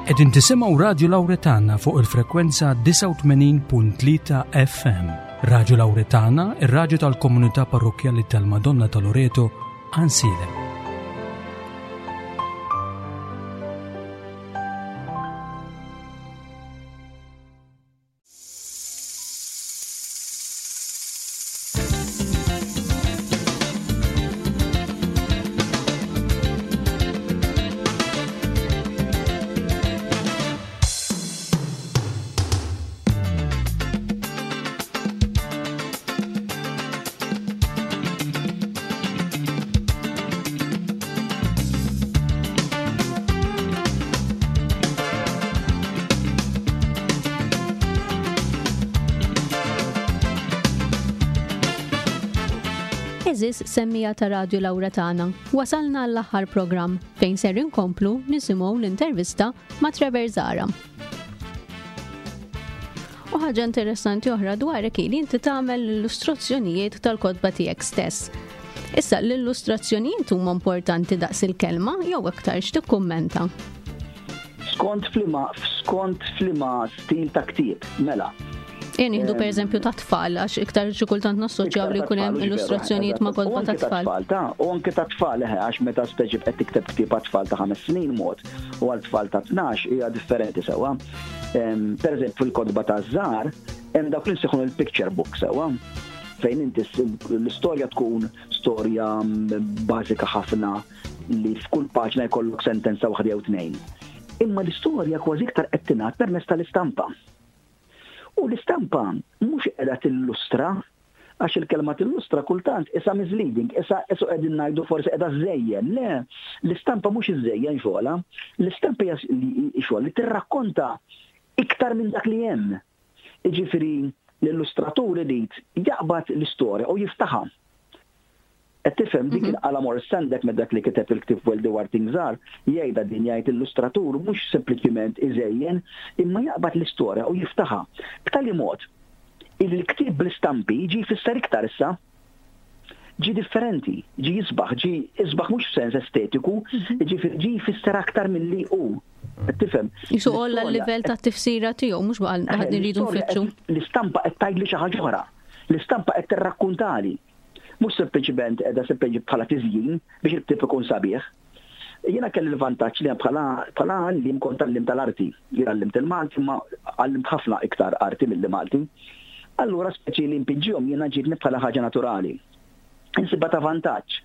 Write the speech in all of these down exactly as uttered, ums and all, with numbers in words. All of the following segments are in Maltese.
Qegħdin tisimgħu Radio Lauretana fuq il-frekwenza disgħa u tmenin punt tlieta F M. Radio Lauretana, ir-raġu tal-komunità parrokkjali tal-Madonna ta' Loreto, Għajnsielem. Għeżież semmiegħa ta' Radio Lauretana, wasalna l-aħħar program fejn ser inkomplu nisimgħu l-intervista ma' Trevor Zahra. U ħaġa interessanti oħra dwarek li inti tagħmel l-illustrazzjonijiet tal-kotba tiegħek stess. Issa l-illustrazzjonijiet huma importanti daqs il-kelma jew aktar, x'tikkummenta? Skont f'liema, skont f'liema stil ta' ktieb, mela. Jien nieħdu per eżempju ta' tfal, għax iktar xi kultant nassoċjaw li jkun hemm illustrazzjonijiet ma' kotba ta' tfal. Ta' u anke ta' tfal, eħe, għax meta speċi qed tikteb ktieb ta' tfal ta' ħames snin mod u għal tfal ta' tnax hija differenti sewwa. Per eżempju, fil-kotba ta' żgħar hemm dawk li nsejħu il-picture book sewwa, fejn inti l-istorja tkun storja bażika ħafna li f'kull paġna jkollok sentenza waħda jew tnejn. Imma l-istorja kważi iktar qed tingħad permezz tal-istampa. U l-istampa mhux qiegħda tillustra, għax il-kelma tillustra kultant issa misleading, issa qisu qegħdin ngħidu forsi qiegħda żejjen. Le, l-istampa mhux iżejjen xogħla, l-istampa hija xogħol li tirrakkonta iktar minn dak li hemm. Jiġifieri l-illustratur irid jaqbad l-istorja u jiftaħha. Qed tifhem dik mhm. il-qala Maurice Sendak me dak li kiteb il-ktieb Where the Wild Things Are, jgħidha din, jgħid illustratur mhux sempliċiment iżejjen, imma jaqbad l-istorja u jiftaħha. B'tali mod il-ktieb bl-istampi ġi jfisser iktar issa. Ġi differenti, ġi jisbaħ, ġi jisbaħ mhux f'sens estetiku, mhm. ġi ġi jfisser aktar milli hu. Tifhem? Qisu għolla l-livell ta' tifsira tiegħu, mhux baqa' rridu nfittxu. L-istampa qed tgħidli xi ħaġa oħra. L-istampa qed tirrakkuntali, mhux sempliċiment qiegħda sempliċi bħala tiżjin biex il-ktieb ikun sabiħ. Jiena kelli l-vantaġġ li bħala bħala għalliem kont għalliem tal-arti. Jien għallimt il-Malti, ma għallimt ħafna iktar arti mill Malti. Allura speċi li npinġihom jiena ġietni bħala ħaġa naturali. Insibha ta' vantaġġ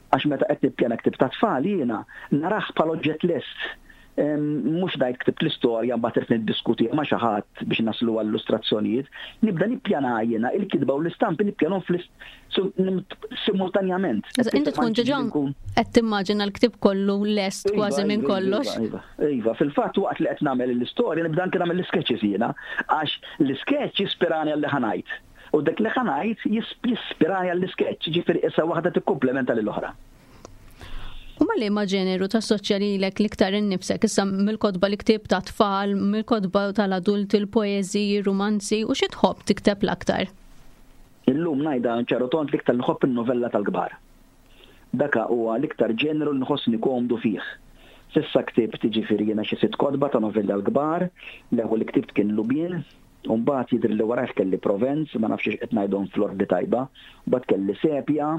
għax meta qed nippjana ktib ta' tfal jiena narah bħala oġġett lest, mhux ngħid ktibt l-istorja, mbagħad irid niddiskuti ma' xi ħadd biex naslu għall-illustrazzjonijiet. Nibda nippjana jiena il-kitba u l-istampi, nippjanhom simultanjament. Inti tkun diġà qed timmaġina l-ktib kollu lest iva, kważi minn iva, kollox. Iva, iva, fil-fatt waqt li qed nagħmel l-istorja nibda anke nagħmel l-sketches jiena, għax l-sketch jispirani għal li ħa ngħid. U dak li ħa ngħid jispirani għall-sketch, ġifieri issa waħda tikkumplementa lill-oħra. U ma liema ġeneru tassoċja lilek l-iktar innifsek issa mill-kotba li ktibt ta' tfal, mill-kotba tal-adulti, il-poeżiji, romanzi, u xi tħobb tikteb l-aktar? Illum ngħidha ċar u tond, l-iktar nħobb il-novella tal-kbar. Daka huwa l-iktar ġeneru li nħossni komdu fih. S'issa ktibt ġifieri jiena xi sitt kotba ta' novella l-kbar, l-ewwel li ktibt kien Lubien, u mbagħad jidher li warajh kelli Provenz, ma nafx qed ngħidhom fl-ordni tajba, mbagħad kelli Sepja,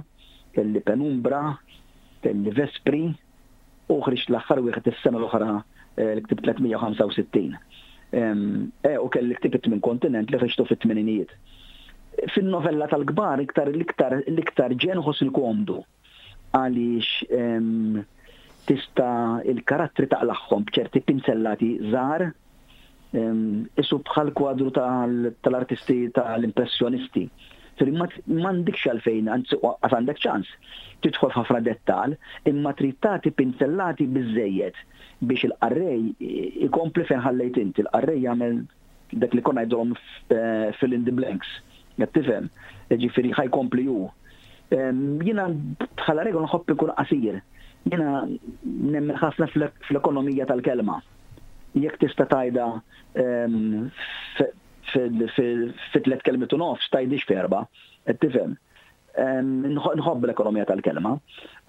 kelli Penumbra, kelli Vespri, u ħriġt l-aħħar wieħed is-sena l-oħra, eh, l-ktib tliet mija u ħamsa u sittin. Eh, u kelli ktib it kontinent li ħriġtu fit-tmeninijiet. Fin-novella tal-kbar iktar l-iktar l-iktar ġen ħoss il-komdu għaliex tista' il-karattri taqlagħhom b'ċerti pinzellati żgħar, qisu bħal kwadru tal-artisti tal-impressjonisti. Firri m'għandikx għalfejn, anzi għandek ċans, tidħol f'ħafna dettal, imma trid tagħti pinzellati biżejjed biex il-qarrej ikompli fejn ħallejt inti, il-qarrej jagħmel dak li konna ngħidulhom eh, fill in the blanks. Qed tifhem? Ġifieri ħa jkompli hu. Jiena bħala regola nħobb ikun qasir. Jiena nemmen ħafna fl-ekonomija tal-kelma. Jekk tista' tgħidha fi tliet kelmiet u nofs, tgħidhiex f'erba', qed tifhem? Nħobb l-ekonomija tal-kelma.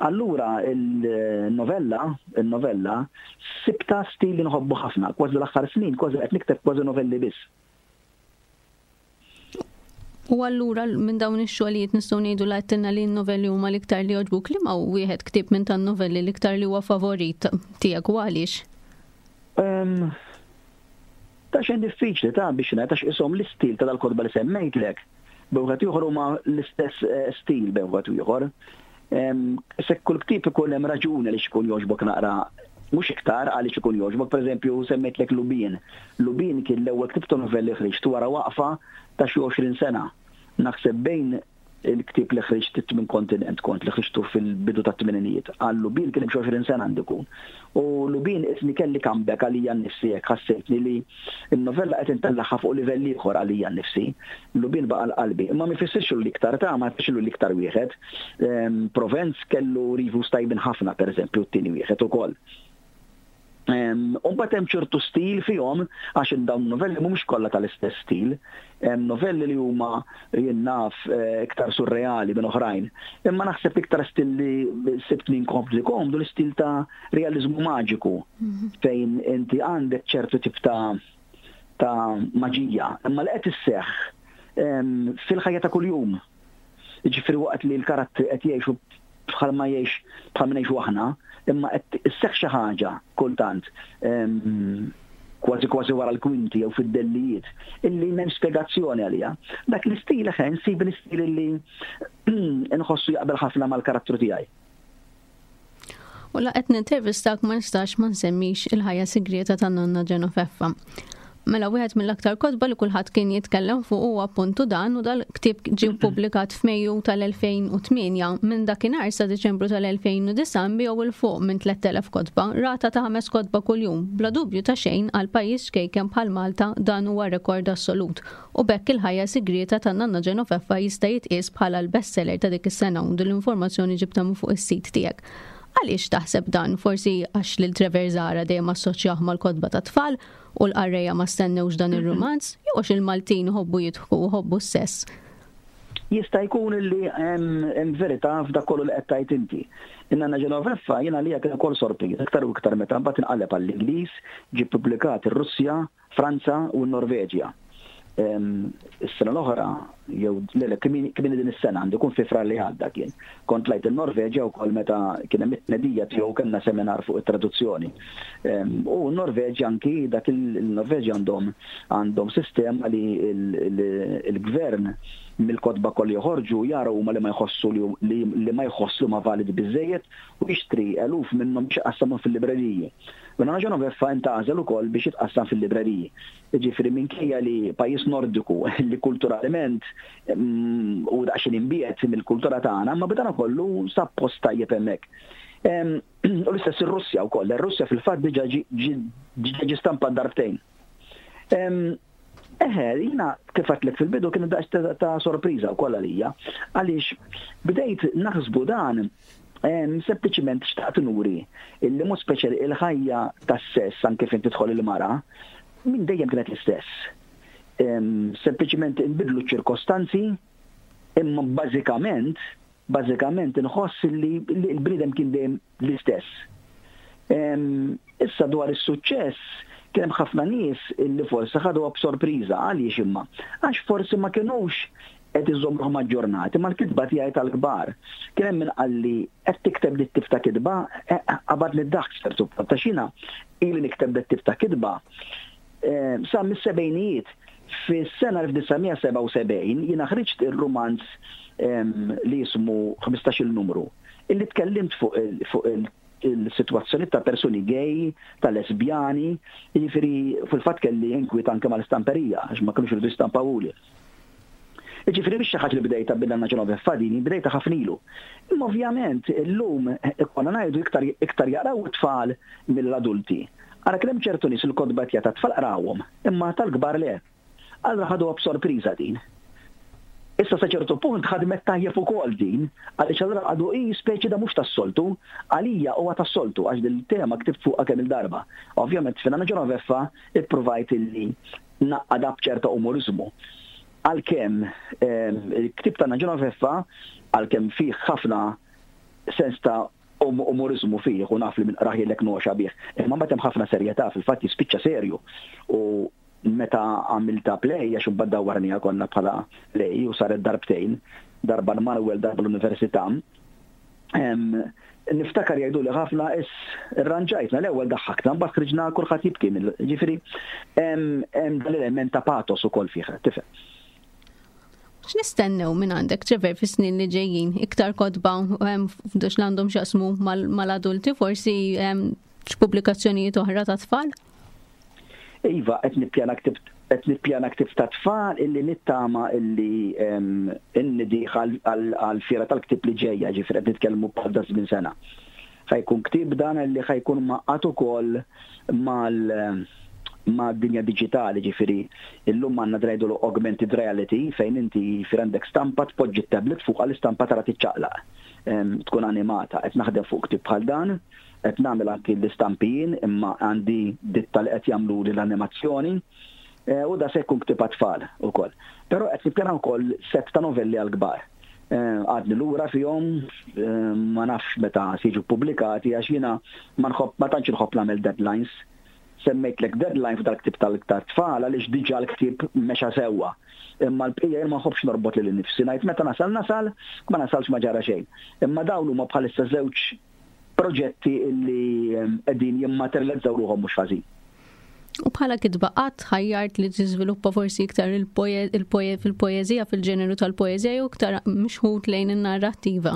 Allura il-novella, il-novella Sibta stil li nħobbu ħafna, kważi l-aħħar snin, kważi qed nikteb kważi novelli biss. U allura minn dawn ix-xogħlijiet nistgħu ngħidu li għedtilna li n-novelli huma l-iktar li jogħġbuk, li ma wieħed ktieb minn tan-novelli l-iktar li huwa favorit tiegħek u għaliex? Ta' xejn diffiċli ta' biex ngħid, għax ishom l-istil ta' dal-kotba li semmejtlek. Bejn ieħor huma l-istess eh, stil bejn ieħor. Se kull ktieb ikun hemm raġuni li xikun jogħġbok naqra, mhux iktar għaliex ikun jogħġbok. Pereżempju, semmejtlek Lubin. Lubin kien l-ewwel ktieb ta' novelli ħriġt wara waqfa ta' xi għoxrin sena. Naħseb bejn il-ktieb li ħriġt minn kontinent kont li ħriġtu fil-bidu ta' tmeninijiet. Għal Lubin kien hemm xi għoxrin sena għandu jkun. U Lubin isni kelli comeback għalija nnifsi, hekk ħassejtni li n-novella qed intellagħha fuq livell ieħor għalija nnifsi. Lubin baqa' l-qalbi. Imma ma jfissirx li iktar ta' ma jfissirx li iktar wieħed. Provenz kellu reviews tajbin ħafna, pereżempju, t-tieni wieħed ukoll. U mbagħad hemm ċertu stil fihom, għax dawn novelli mhumiex kollha tal-istess stil. Hemm novelli li huma, jien naf, eh, iktar surreali minn oħrajn. Imma naħseb iktar stil li sibtni nkompli komdu l-istil ta' realizmu maġiku, mhm. fejn inti għandek ċertu tip ta' ta' maġija, imma li qed isseħħ fil-ħajja ta' kuljum. Jiġifieri waqt li l-karattri qed jgħixu bħalma jgħix bħalma ngħixu aħna, imma qed isseħħ xi ħaġa kultant kważi kważi wara l-kwinti jew fid-dellijiet illi m'hemm spjegazzjoni għalija. Dak l-istil ħen sib l-istil illi nħossu jaqbel ħafna mal-karattru tiegħi. U la qed nintervistak ma nistax ma nsemmix Il-Ħajja Sigrieta ta' Nonna Ġenofeffa. Mela wieħed mill-aktar kotba li kulħadd kien jitkellem fuq huwa appuntu dan, u dal-ktieb ġie ppubblikat f'Mejju tal-elfejn u tmienja. Minn dakinhar sa Diċembru tal-elfejn u disgħa nbiegħu 'l fuq minn tlett elef kotba, rata ta' ħames kotba kuljum. Bla dubju ta' xejn, għal pajjiż ċkejken bħal Malta dan huwa rekord assolut. U b'hekk Il-Ħajja Sigrieta ta' Nanna Ġenofeffa jista' jitqies bħala l-bestseller ta' dik is-sena, u din l-informazzjoni ġibta minn fuq is-sit tiegħek. Għaliex taħseb dan? Forsi għax lil Trevor Zahra dejjem assoċjah mal-kotba ta' tfal u l-qarrejja ma stennewx dan ir-rumanz, jew għax il-Maltin ħobbu jidħku u ħobbu s-sess? Jista' jkun li hemm verità f'dak kollu li qed tgħid inti. In-Nanna Ġenoveffa jiena li kien ukoll sorpriż, iktar u iktar meta mbagħad inqaleb għall-Ingliż, ġie ppubblikat ir-Russja, Franza u n-Norveġja. Is-sena l-oħra, jew le, kmieni din is-sena, għandu jkun fi Frar li għadda kien. Kont tlajt il-Norveġja wkoll meta kien hemm it-tnedija tiegħu, kellna seminar fuq it-traduzzjoni. U n-Norveġja anki, dak il-Norveġja għandhom għandhom sistema li il-gvern mill-kotba kollu joħorġu jaraw huma li ma jħossu li ma jħossu ma validi biżejjed u jixtri eluf minnhom biex iqassamhom fil-libreriji. U Nanna Ġenoveffa intgħażel ukoll biex jitqassam fil-libreriji. Ġifieri minkejja li pajjiż nordiku li kulturalment mm, u daqsxejn imbiegħed mill-kultura tagħna, ma b'dana kollu sab post tajjeb hemmhekk. U l-istess ir-Russja wkoll. Ir-Russja fil-fatt diġà ġi stampa darbtejn. Eħe, jiena kif għedtlek fil-bidu kien daqs ta' sorpriża wkoll għalija, għaliex bdejt naħsbu dan, sempliċiment xtaqt nuri illi mod speċjali il-ħajja tas-sess, anke fejn tidħol il-mara, minn dejjem kienet l-istess. Sempliċiment inbidlu ċirkostanzi, imma bażikament, bażikament inħoss li l-bniedem kien dejjem l-istess. Issa dwar is-suċċess, kien hemm ħafna nies illi forsi ħaduha b'sorpriża. Għaliex imma? Għax forsi ma kinux qed iżommuhom aġġornati mal-kitba tiegħi tal-kbar. Kien hemm min qalli, "Qed tikteb dit tip ta' kitba?" Eh, qabad li d-daħk ċertu ta' xina ili nikteb dit tip ta' kitba eh, sa mis-sebgħinijiet. Fis-sena elf disa' mija sebgħa u sebgħin jiena ħriġt ir-rumanz li jismu ħmistax-il numru, illi tkellimt fuq il-situazzjoni ta' persuni gay, ta' lesbjani, jiġifieri fil-fatt kelli inkwiet anke mal-istamperija, għax ma kienux iridu jistampawuli. Ġifieri biex xi ħaġa li bdejta bin-Nanna Ġenoveffa dini, bdejta ħafna ilu. Imma ovvjament illum konna ngħidu iktar iktar jaqraw it-tfal mill-adulti. Ara kien hemm ċertu nies il-kotba ta' tfal qrawhom, imma tal-kbar le. Allura ħaduha b'sorpriża din. Issa sa ċertu punt ħadmet tajjeb ukoll din, għaliex allura għadu i speċi da mhux tas-soltu, għalija huwa tas-soltu għax dil-tema ktibt fuqha kemm il-darba. Ovvjament fin-Nanna Ġenoveffa ippruvajt illi ngħaqqadha b'ċerta umorizmu. Għalkemm il-ktieb ta' Ġenoveffa, għalkemm fih ħafna sens ta' Umorizmu fih u naf li minn qrah jgħidlek noxa bih. Imma mbagħad hemm ħafna serjetà, fil-fatt jispiċċa serju. U meta għamilta play, għax imbagħad dawwarniha konna bħala play u saret darbtejn, darba l-Manuel, darba l-Università. Niftakar jgħidu li ħafna is irranġajtna, l-ewwel daħħakna, mbagħad ħriġna kulħadd jibki mill. Ġifieri hemm dan l-element ta' patos ukoll fih, tifhem. X'nistennew minn għandek, Trevor, fis-snin li ġejjin? Iktar kotba f'dux li għandhom x'jaqsmu mal-adulti, forsi x'pubblikazzjonijiet oħra ta' tfal? Iva, qed nippjana ktieb qed nippjana ktieb ta' tfal illi nittama illi innedih għal-fiera tal-ktieb li ġejja, ġifieri qed nitkellmu bħal da żmien sena. Ħa jkun ktieb dan illi ħa jkun mgħaqqad ukoll mal ma' dinja digitali, ġifieri illum għandna ngħidulu augmented reality, fejn inti fir għandek stampa tpoġġi tablet fuq għall-istampa tara tiċċaqlaq, tkun animata. Qed naħdem fuq ktieb bħal dan, qed nagħmel anki l-istampijin, imma għandi ditta li qed jagħmlu l-animazzjoni, u da se jkun ktieb għat-tfal ukoll. Però qed nippjana wkoll set ta' novelli għall-kbar. Għadni lura fihom, ma nafx meta se jiġu pubblikati għax jiena ma nħobb, ma tantx inħobb nagħmel deadlines. Semmejtlek deadline f'dal ktib tal-tfal għaliex diġà l-ktieb mexa sewwa. Imma l-bqija jien ma nħobbx norbot lil nifsi, ngħid meta nasal nasal, ma nasalx ma ġara xejn. Imma dawn huma bħalissa żewġ proġetti illi qegħdin jimmaterializzaw ruħhom mhux ħażin. U bħala kitba qatt ħajjart li tiżviluppa forsi iktar fil-poeżija, fil-ġeneru tal-poeżija jew iktar mixħut lejn in-narrattiva?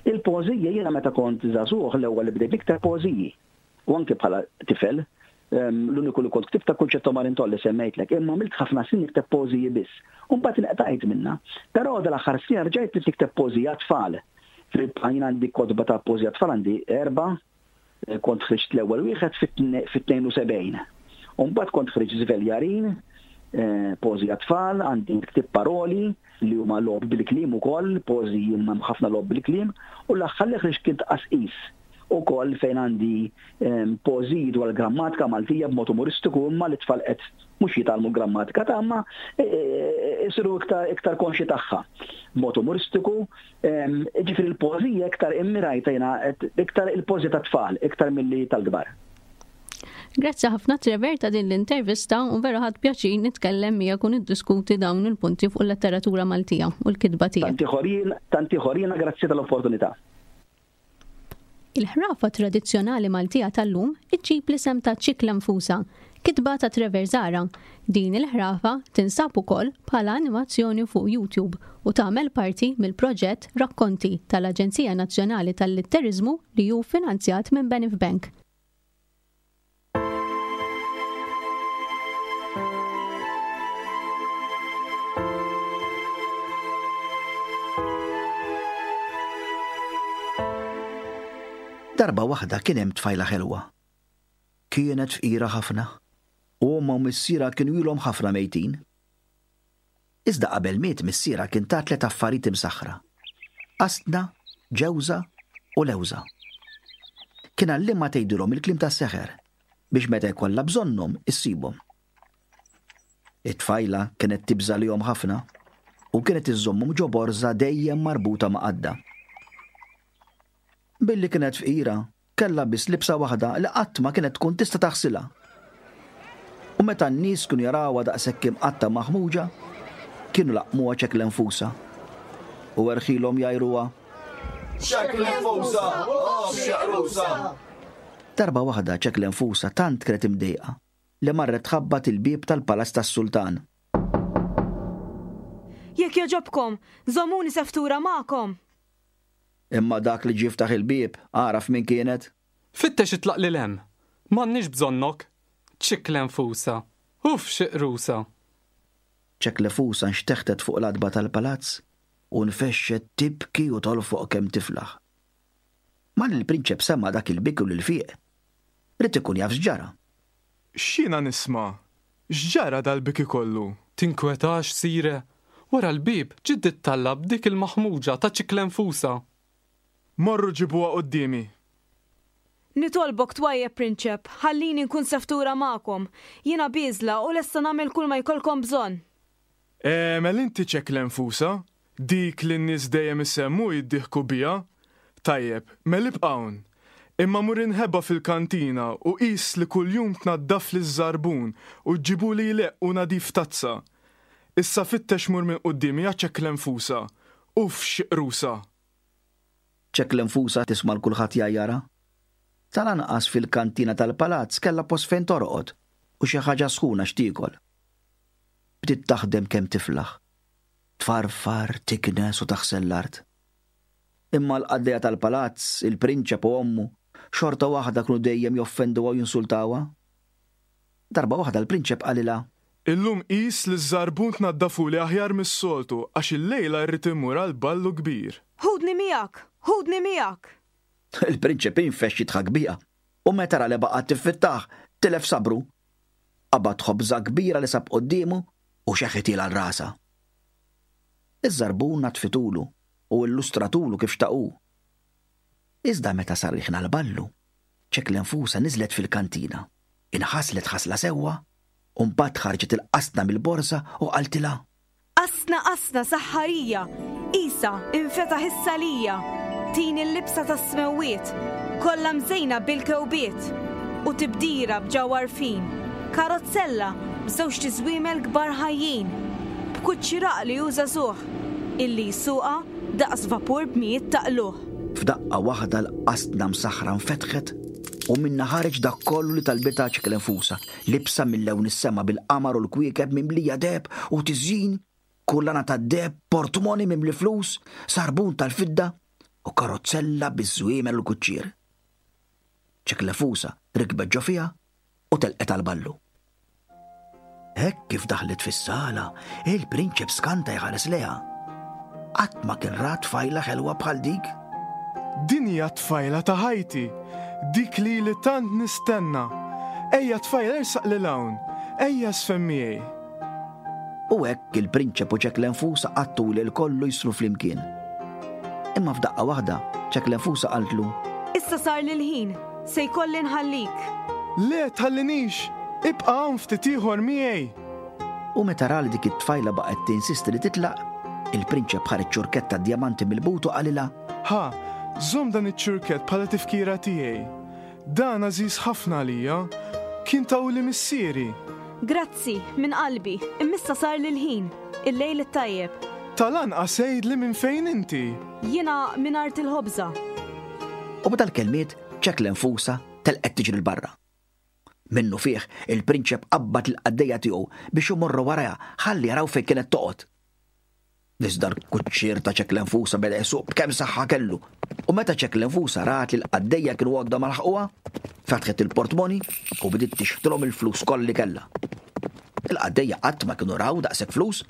Il-poeżija jiena meta kont żagħżugħ l-ewwel li bdejt iktar poeżiji. U anke bħala tifel, l-uniku li kont ktibt ta' Kunċetto Marintoll li semmejtlek, imma għamilt ħafna snin nikteb poeżiji biss. U mbagħad inqtajt minnha. Però dal-aħħar snin rġajt li nikteb poeżija tfal. Fil-bqajn għandi kotba ta' poeżija tfal għandi erba', kont ħriġt l-ewwel wieħed fit-tnejn u sebgħin. U mbagħad kont ħriġt Żveljarin, poeżija tfal, għandi ktieb paroli li huma logħob bil-kliem ukoll, poeżiji imma ħafna logħob bil-kliem, u l-aħħar li ħriġt kien tqasqis ukoll fejn għandi poeżiji dwar grammatika Maltija b'mod umoristiku, imma li tfal qed mhux jitgħallmu grammatika ta' imma isiru iktar, iktar konxi tagħha b'mod umoristiku. Ġifieri l-poeżija iktar immirajta jiena iktar il-poeżija ta' tfal iktar milli tal-kbar. Grazzi ħafna Trevor ta' din l-intervista u vera ħadt pjaċir nitkellem miegħek u niddiskuti dawn il-punti fuq il-letteratura Maltija u l-kitba tiegħek. Tanti ħorin, tanti ħorina, grazzi tal-opportunità. Il-ħrafa tradizzjonali Maltija tal-lum iġġib l-isem ta' Ċikla Nfusa, kitba ta' Trevor Zahra. Din il-ħrafa tinsab ukoll bħala animazzjoni fuq YouTube u tagħmel parti mill-proġett Rakkonti tal-Aġenzija Nazzjonali tal-Litteriżmu li hu finanzjat minn Benif Bank. Darba waħda kien hemm tfajla ħelwa. Kienet fqira ħafna u ommha u missierha kienu ilhom ħafna mejtin. Iżda qabel miet missierha kien ta tliet affarijiet imsaħħra: qasna, ġewża u lewża. Kien għallimha tgħidilhom il-kliem tas-seħer biex meta jkollha bżonnhom issibhom. It-tfajla kienet tibża' lihom ħafna u kienet iżżommhom ġo borża dejjem marbuta ma' qadda. Billi kienet fqira, kellha biss libsa waħda li qatt ma kienet tkun tista' taħsilha. U meta n-nies kienu jarawha daqshekk imqatta maħmuġa, kienu laqmuha ċekla nfusa. U erħilhom jgħajruha. Ċekla nfusa, oh, xaqrusa. Darba waħda ċekla nfusa tant kienet imdejqa li marret tħabbat il-bieb tal-palazz tas-sultan. Jekk jogħġobkom, żommuni seftura magħkom. Imma dak li ġie ftaħ il-bieb, għaraf min kienet. Fittex itlaq lil hemm. M'għandniex bżonnok. Ċikla nfusa. Uff, xi qrusa. Ċekla nfusa nxteħtet fuq l-adba tal-palazz u nfexxet tibki u tolfoq kemm tiflaħ. Malli l-prinċep sema' dak il-biki u l-fiq, ried ikun jaf x'ġara. X'jiena nisma'? X'ġara dal-biki kollu? Tinkwetax, sire. Wara l-bieb ġiet tallab dik il-maħmuġa ta' ċikla nfusa. Morru ġibuha quddiemi. Nitolbok twajjeb, prinċep, ħallini nkun seftura magħkom. Jiena bieżla u lesta nagħmel kull ma jkollkom bżonn. E, mela inti ċekla nfusa, dik li n-nies dejjem isemmu jiddieħku biha. Tajjeb, mela ibqa' hawn. Imma mur inħeba fil-kantina u qis li kuljum tnaddafli ż-żarbun u ġġibuli jleqq u nadif tazza. Issa fittex mur minn quddiemi ja Ċeklenfusa. Uff xi qrusa! Ċeklenfusa tisma' 'l kulħadd jgħajjarha. Tal-anqas fil-kantina tal-palazz kellha post fejn torqod u xi ħaġa sħuna x'tiekol. Bdiet taħdem kemm tiflaħ. Tfarfar, tiknes u taħsel l-art. Imma l-qaddejja tal-palazz, il-prinċep u ommu, xorta waħda kienu dejjem joffenduha u jinsultawha. Darba waħda l-prinċep qalilha. Illum qis li ż-żarbun tnaddafuli aħjar mis-soltu għax illejla rrid immur għal ballu kbir. Ħudni miegħek! Ħudni miegħek! Il-prinċep infexx jidħak biha u meta ra li baqgħet tiffittah, tilef sabru. Qabad ħobża kbira li sab quddiemu u xeħħithielha għal rasha. Iż-żarbun naddfitulu u illustratulu kif xtaq hu. Iżda meta sar il-ħin għall-ballu, Ċeklenfusa niżlet fil-kantina, inħaslet ħasla sewwa u mbagħad ħarġet il-qasna mill-borża u qaltilha. Qasna qasna saħħarija, qisha infetaħ is-salija, tini l-libsa tas-smewwiet, kollha mżejna bil-kewbiet, u tibdira b'ġawhar fin, karozzella b'żewġt iżwiemel kbar ħajjin, b'kuċċi raqli u żagħżugħ, illi jsuqha daqs vapur b'mijiet ta' qlugħ. F'daqqa waħda l-qasna msaħħra nfetħet u minnha ħareġ dak kollu li talbitha Ċeklenfusa, libsa minn lewn is-sema bil-qamar u l-kwiekeb mimlija deheb u tiżjin, kullana tad-deheb, portmoni mimli flus, sarbun tal-fidda u karozzella biż-żwiemel u l-kuċċier. Ċeklenfusa rikbet ġo fiha u telqet għall-ballu. Hekk kif daħlet fis-sala, il-prinċep skanta jħares lejha. Qatt ma kien ra tfajla ħelwa bħal dik. Din hija t-tfajla ta' ħajti, dik li li tant nistenna. Ejja tfajla ersaq lil hawn, ejja żfen miegħi. U hekk il-prinċep u Ċeklenfusa qattu lil kollu jisru flimkien. Imma f'daqqa waħda Ċeklenfusa qaltlu: Issa sar lil ħin, se jkolli nħallik. Le tħallinix, ibqa' hawn ftit ieħor miegħi. U meta ra li dik it-tfajla baqgħet tinsisti li titlaq, il-prinċep ħareġ ċurkett ta' djamanti mill-but u qalilha: Ħa, żomm dan iċ-ċurkett bħala tifkira tiegħi. Dan għażiż ħafna għalija, kien tawli missieri. Grazzi, minn qalbi, imma issa sar lil ħin, il-lejl it-tajjeb. Tal-anqas għidli minn fejn inti. Jiena minn art il-ħobża. U b'dal-kelmiet Ċeklenfusa telqet tiġri 'l barra. Minnu fih il-prinċep qabbad il-qaddejja tiegħu biex imorru warajha ħalli jaraw fejn kienet toqgħod. Iżda l-kuċċier ta' Ċeklenfusa beda jsuq b'kemm saħħa kellu. U meta Ċeklenfusa rat li l-qaddejja kienu għodda ma laħquha, fetħet il-portmoni u bdiet tixħtilhom il-flus kollha li kellha. Il-qaddejja qatt ma kienu raw daqshekk flus.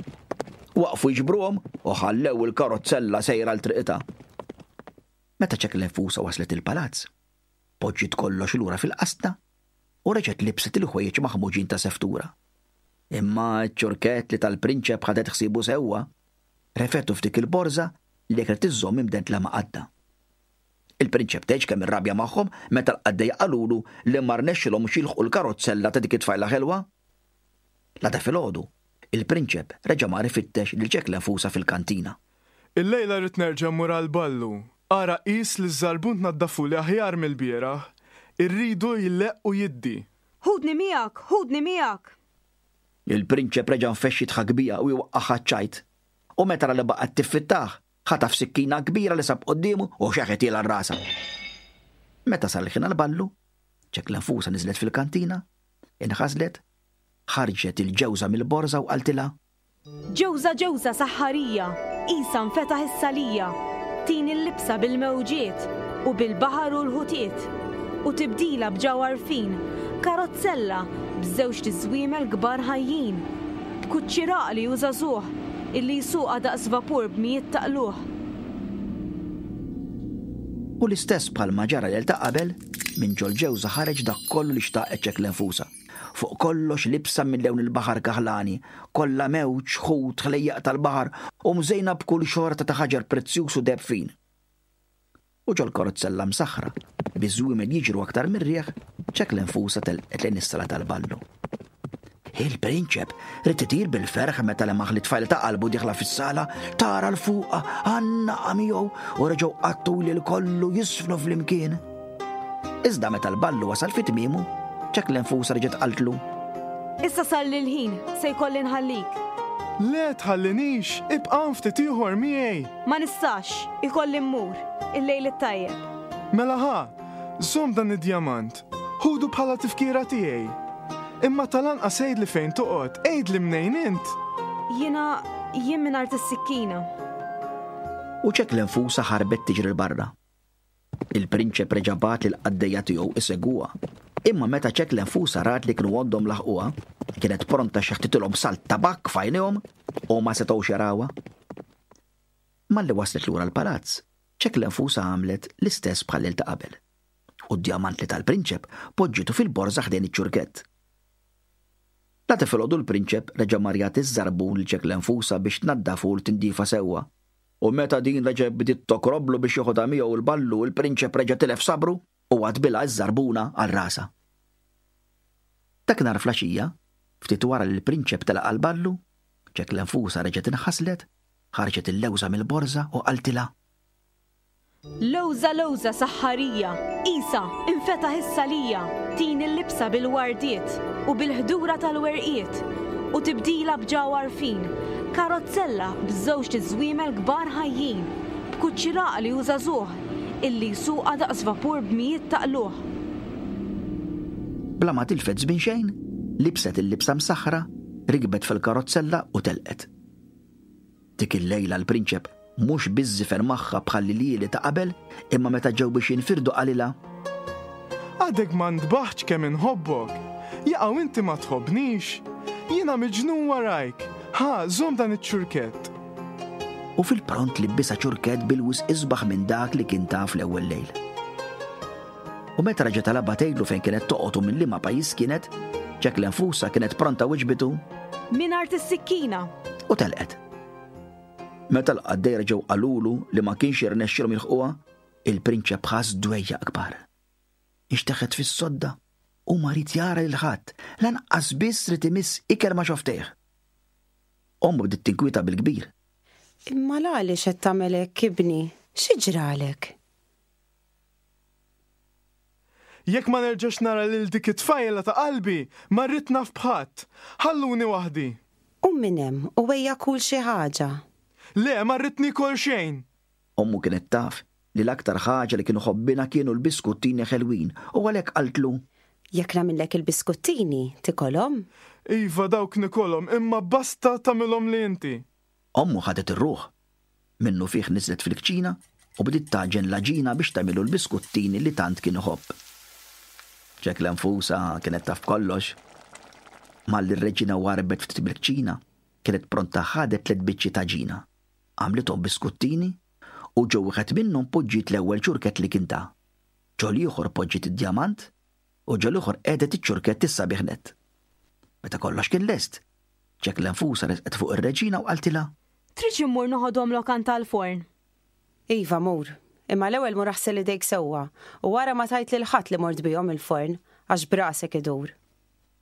Waqfu jiġbruhom u ħallew il-karozzella sejra l triqitha. Meta Ċeklenfusa waslet il-palazz, poġġiet kollox lura fil-qasna u reġgħet libset il-ħwejjeġ maħmuġin ta' seftura. Imma ċ-ċurkett li tal-prinċep ħadet ħsiebu sewwa, refetu f'dik il-borża li kienet iżżomm imdendla ma' qaddha. Il-prinċep tgħidx kemm irrabja magħhom meta l-qaddejja qalulu li ma rnexxilhomx jilħqu l-karozzella ta' dik it-tfajla ħelwa. L-għada filgħodu, il-prinċep reġa' mar ifittex lil Ċeklenfusa fil-kantina. Illejla rrid nerġa' mmur għall-ballu. Ara qis li ż-żarbun tnaddafuli aħjar mill-bieraħ. Irridu jleqq u jiddi. Ħudni miegħek, ħudni miegħek. Il-prinċep reġa' nfexx jidħak biha u jwaqqagħha ċ-ċajt. U meta ra li baqgħet tiffittah, ħataf sikkina kbira li sab quddiemu u xeħetielha għal rasha. Meta sar il-ħin għall-ballu, Ċeklenfusa niżlet fil-kantina, inħaslet, ħarġet il-ġewża mill-borża u qaltilha: Ġewża ġewża saħħarija, qisha nfetaħ is-salija, tini l-libsa bil-mewġiet u bil-baħar u l-ħutiet, u tibdila b'ġawhar fin, karozzella b'żewġt iżwiemel kbar ħajjin, b'kuċċi raqli u żagħżugħ illi jsuqha daqs vapur b'mijiet ta' qlugħ. U l-istess bħalma ġara lejl ta' qabel, minn ġol-ġewża ħareġ dak kollu li xtaqet Ċeklenfusa. Fuq kollox libsa minn lewn il-baħar kaħlani, kollha mewġ, ħut, ħlejjaq tal-baħar u mżejna b'kull xorta ta' ħaġar prezzjuż u deheb fin. U ġol-karozzella msaħħra, biż-żwiemel jiġru aktar mir-riħ, Ċeklenfusa telqet lejn is-sala tal-ballu. Il-prinċep ried itir bil-ferħ meta lemaħ li tfajla ta' qalbu dieħla fis-sala, tara 'l fuqha, għannaqha miegħu u reġgħu qattgħu l-lejl kollu jiżfnu flimkien. Iżda meta l-ballu wasal fi tmiemu, Ċeklenfusa reġgħet qaltlu. Issa sar l-ħin, se jkolli nħallik. Le tħallinix, ibqa' ftit ieħor miegħi. Ma nistax, ikolli mmur, il-lejl it-tajjeb. Mela ħa, żomm dan id-djamant, ħudu bħala tifkira tiegħi. Imma tal-anqas għidli fejn toqgħod, għidli mnejn int. Jiena, jien minn art is-sikkina. U Ċeklenfusa ħarbet tiġri 'l barra. Il-prinċep reġa' bagħat lill-qaddejja tiegħu isegwuha. Imma meta Ċeklenfusa rat li kienu għoddhom laħquha, kienet pronta xeħtitilhom salt tabakk f'għajnejhom u ma setgħux jarawha. Malli waslet lura l-palazz, Ċeklenfusa għamlet l-istess bħal ta' qabel. U d-djamant li tal-prinċep poġġitu fil-borża ħdejn iċ-ċurkett. L-għada filgħodu l-prinċep reġa' mar jagħti ż-żarbun lil Ċeklenfusa biex tnaddafu u tindifa sewwa. U meta din reġa' bdiet tokroblu biex joħodha miegħu l-ballu, il-prinċep reġa' tilef sabru u għadbilha ż-żarbuna għal rasha. Dakinhar filgħaxija, ftit wara li l-prinċep telaq għall-ballu, Ċeklenfusa reġgħet inħaslet, ħarġet il-lewża mill-borża u qaltilha. Lewża lewża saħħarija, isa, infetaħ is-salija, tini l-libsa bil-wardiet u bil-ħdura tal-werqiet u tibdila b'ġawhar fin, karozzella b'żewġt iżwiemel kbar ħajjin, b'kuċċi għaqli u żagħżugħ illi jsuqha daqs vapur b'mijiet ta' qlugħ. Bla ma tilfet żmien xejn, libset il-libsa msaħħra, rikbet fil-karozzella u telqet. Dik il-lejla l-prinċep mhux biss żifen magħha bħal ljieli ta' qabel, imma meta ġew biex jinfirdu qalilha. Għadek ma ntbaħtx kemm inħobbok. Jaqaw inti ma tħobbnix. Jiena miġnun warajk. Ħa, żomm dan iċ-ċurkett. U fil-pront libbisha ċurkett bil-wisq isbaħ minn dak li kien taf l-ewwel lejl. U meta reġa' talabha tgħidlu fejn kienet toqgħod u minn liema pajjiż kienet, Ċeklenfusa kienet pronta wiġbitu. Minn art is-sikkina. U telqet. Meta l-qaddej reġgħu qalulu li ma kienx jirnexxilhom jilħquha, il-prinċep ħass dwejjaq kbar. Inxteħet fis-sodda u ma ried jara lil ħadd, lanqas biss ried imiss ikel ma' xofftejh. Ommu bdiet tinkwieta bil-kbir. Imma għaliex qed tagħmel hekk ibni? Xi ġralek? Jekk ma nerġax nara lil dik it-tfajla ta' qalbi, ma rrid naf b'ħadd. Ħalluni waħdi. U minn hemm u ejja kul xi ħaġa. Le, ma rrid nikol xejn. Ommu kienet taf li l-aktar ħaġa li kienu ħobbina kienu l-biskuttini ħelwin u għalhekk qaltlu. Jekk nagħmillek il-biskuttini, tikolhom? Iva, dawk nikolhom, imma basta tagħmilhom li inti. Ommu ħadet ir-ruħ. Minnu fih niżlet fil-kċina u bdiet tagħġen l-għaġina biex tagħmilu l-biskuttini li tant kien iħobb. Ċeklenfusa kienet taf kollox. Malli r-reġina warbet ftit bil-kċina, kienet pronta ħadet tliet biċċi ta' ġina. Għamlithom biskuttini u ġo wieħed minnhom poġġiet l-ewwel ċurkett li kien ta. Ġo l-ieħor poġġiet id-djamant u ġo l-ieħor qiegħdet iċ-ċurkett is-sabiħ nett. Meta kollox kien lest, Ċeklenfusa resqet fuq ir-reġina u qaltilha. Trid immur noħodhom lokant tal-forn? Iva, mur. Imma l-ewwel mur aħsel idejk sewwa u wara ma tgħid lil ħadd li mort bihom il-forn għax brasek idur.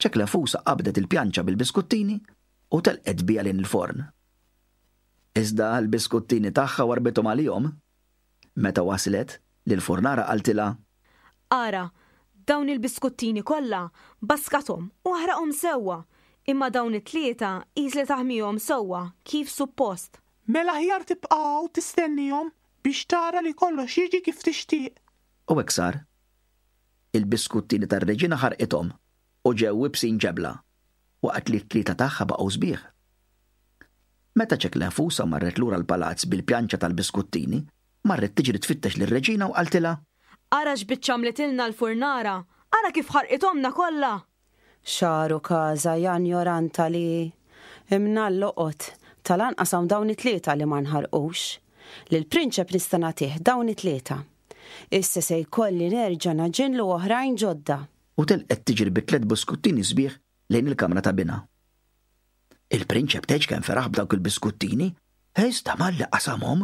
Ċeklenfusa qabdet il-pjanċa bil-biskuttini u telqet biha lejn il-forn. Iżda l-biskuttini tagħha warbithom għalihom. Meta waslet, lill-furnara qaltilha. Ara, dawn il-biskuttini kollha baskathom u aħraqhom sewwa, imma dawn it-tlieta qis li taħmihom sewwa kif suppost. Mela aħjar tibqa' hawn tistennihom biex tara li kollox jiġi kif tixtieq. U hekk sar. Il-biskuttini tar-reġina ħarqithom u ġew ibsin ġebla, waqt li t-tlieta tagħha baqgħu sbieħ. Meta Ċeklenfusa marret lura l-palazz bil-pjanċa tal-biskuttini, marret tiġri tfittex lir-reġina u qaltilha. Ara x'biċċa għamlitilna l-furnara, ara kif ħarqithomna kollha. Xaru każa janjoranta li imna l-loqot tal-anqas hawn dawn it-tlieta li ma nħarqux. Lill-prinċep nista' nagħtih dawn it-tlieta. Issa se jkolli nerġa' naġinlu oħrajn ġodda. U telqet tiġri bi tliet biskuttini sbieħ lejn il-kamra ta' binha. Il-prinċep tgħidx kemm feraħ b'dawk il-biskuttini Iżda malli qasamhom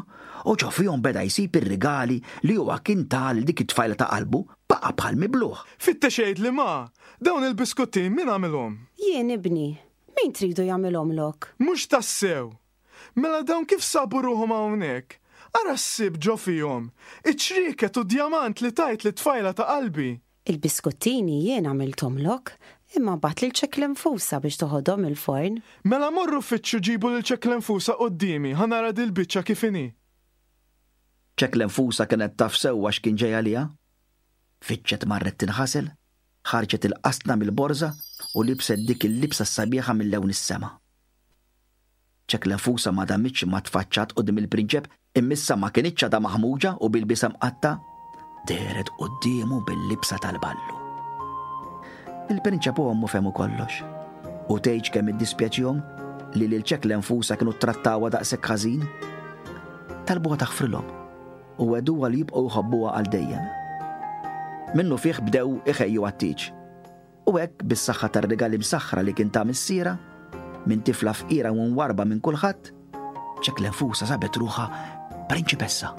u ġo fihom beda jsib ir-rigali li huwa kien ta lil dik it-tfajla ta' qalbu, baqa' bħal mibluh. Fittex għidli ma, dawn il-biskutti min għamilhom? Jien ibni, min tridu jagħmilhomlok? Mhux tassew! Mela dawn kif sabu ruħhom hawnhekk? Ara ssib ġo fihom, iċ-ċrieket u djamant li tajt lit-tfajla ta' qalbi. Il-biskuttini jien għamilthomlok, imma bgħatt lil Ċeklenfusa biex toħodhom il-forn. Mela morru fittxu ġibu lil Ċeklenfusa quddiemi, ħa nara dil-biċċa kif inhi. Ċeklenfusa kienet taf sewwa x'kien ġej għaliha. Fittxet marret tinħasel, ħarġet il-qasna mill-borża u libset dik il-libsa s-sabiħa mill-lewn is-sema. Ċeklenfusa ma damitx ma tfaċċat quddiem il-prinċep, imma issa ma kinitx għadha maħmuġa u bil-libsa mqatta', dehret quddiemu bil-libsa tal-ballu. Il-prinċep u ommu fehmu kollox. U tgħidx kemm iddispjaċihom li lil Ċeklenfusa kienu ttrattawha daqshekk ħażin. Talbuha taħfrilhom u wegħduha li jibqgħu jħobbuha għal dejjem. Minnu fih bdew iħejju għat-tieġ. U hekk bis-saħħa tar-rigali msaħħra li kien ta missierha, minn tifla fqira u mwarrba minn kulħadd, Ċeklenfusa sabet ruħha prinċipessa.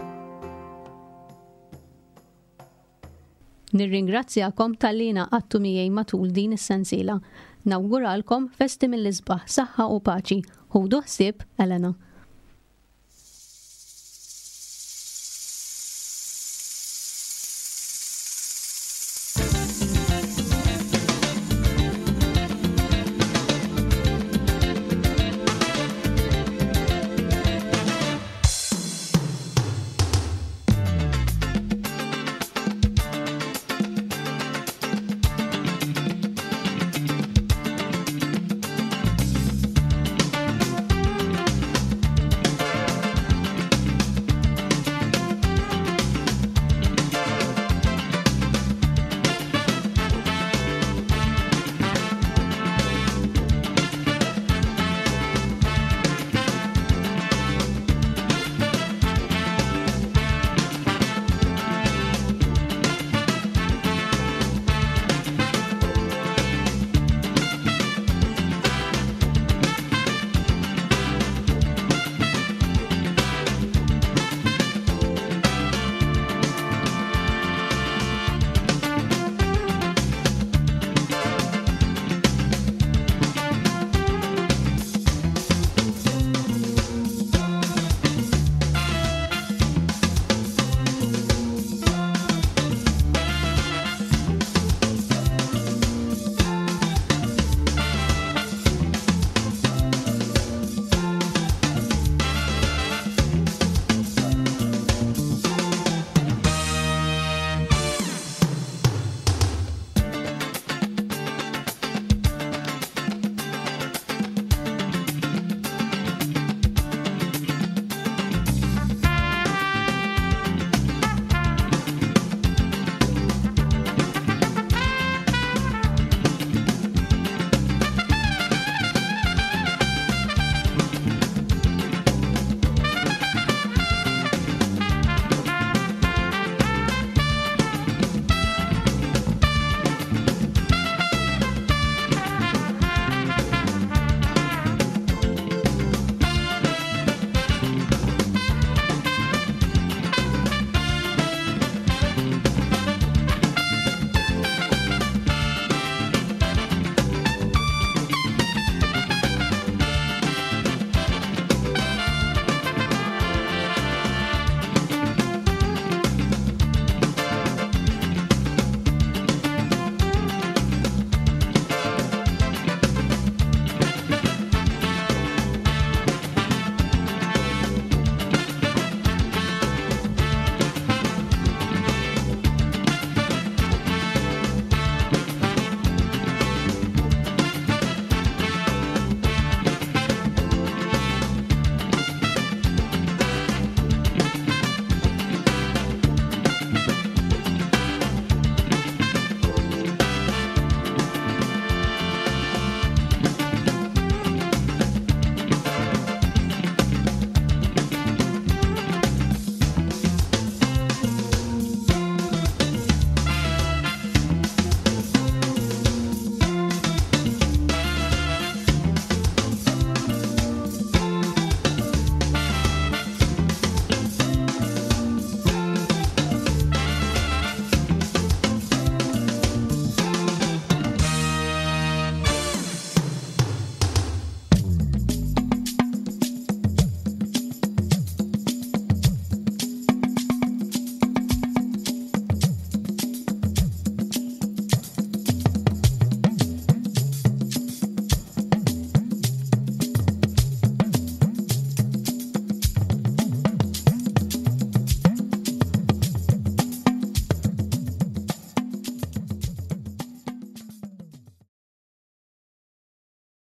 Nirringrazzjakom talli ngħaqadtu miegħi matul din is-sensiela. Nawguralkom festi mill-isbaħ, saħħa u paċi. Ħudu ħsieb, Elena.